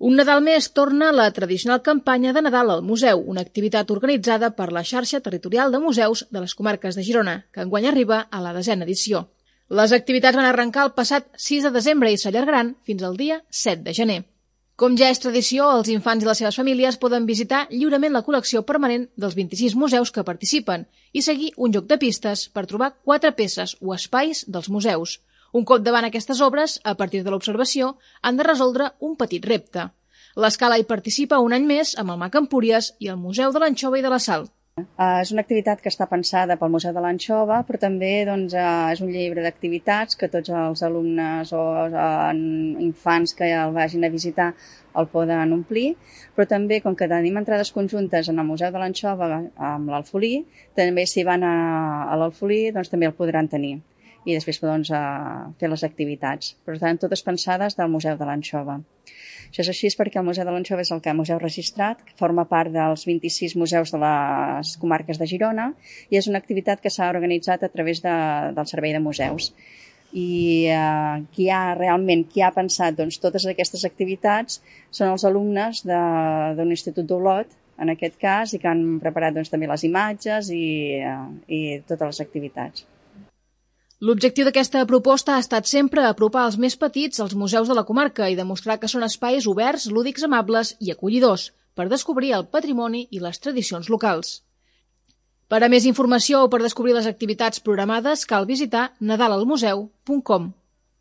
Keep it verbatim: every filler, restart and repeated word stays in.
Un Nadal més torna la tradicional campanya de Nadal al Museu, una activitat organitzada per la xarxa territorial de museus de les comarques de Girona, que enguany arriba a la desena edició. Les activitats van arrencar el passat sis de desembre i s'allargaran fins al dia set de gener. Com ja és tradició, els infants i les seves famílies poden visitar lliurement la col·lecció permanent dels vint-i-sis museus que participen i seguir un joc de pistes per trobar quatre peces o espais dels museus. Un cop davant aquestes obres, a partir de l'observació, han de resoldre un petit repte. L'Escala hi participa un any més amb el Mag Empúries i el Museu de l'Anxova i de la Sal. Uh, és una activitat que està pensada pel Museu de l'Anxova, però també doncs, uh, és un llibre d'activitats que tots els alumnes o uh, infants que el vagin a visitar el poden omplir, però també, com que tenim entrades conjuntes en el Museu de l'Anxova amb l'Alfolí, també si van a, a l'Alfolí doncs, també el podran tenir i després doncs, uh, fer les activitats. Per tant, totes pensades del Museu de l'Anxova. Això és així perquè el Museu de l'Anxova és el que museu registrat, que forma part dels vint-i-sis museus de les comarques de Girona i és una activitat que s'ha organitzat a través de, del Servei de Museus. I eh, qui ha realment, qui ha pensat doncs, totes aquestes activitats són els alumnes d'un institut d'Olot, en aquest cas, i que han preparat doncs, també les imatges i, eh, i totes les activitats. L'objectiu d'aquesta proposta ha estat sempre apropar els més petits als museus de la comarca i demostrar que són espais oberts, lúdics, amables i acollidors per descobrir el patrimoni i les tradicions locals. Per a més informació o per descobrir les activitats programades cal visitar nadal al museu punt com.